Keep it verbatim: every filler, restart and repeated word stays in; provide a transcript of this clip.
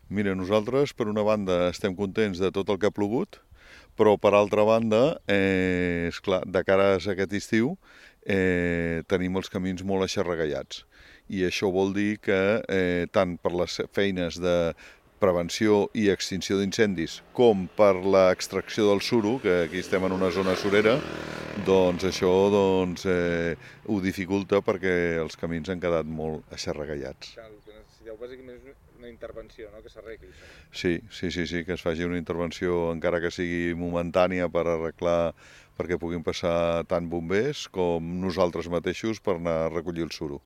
Mira, nosaltres, per una banda, estem contents de tot el que ha plogut, però, per altra banda, eh, esclar, de cara a aquest estiu, eh, tenim els camins molt aixarregallats. I això vol dir que, eh, tant per les feines de prevenció i extinció d'incendis, com per l'extracció del suro, que aquí estem en una zona surera, doncs això doncs, eh, ho dificulta perquè els camins han quedat molt aixarregallats. Clar, el que necessiteu bàsicament és una intervenció, no?, que s'arregli això. Sí, sí, sí, sí, que es faci una intervenció, encara que sigui momentània, per arreglar, perquè puguin passar tant bombers com nosaltres mateixos per anar a recollir el suro.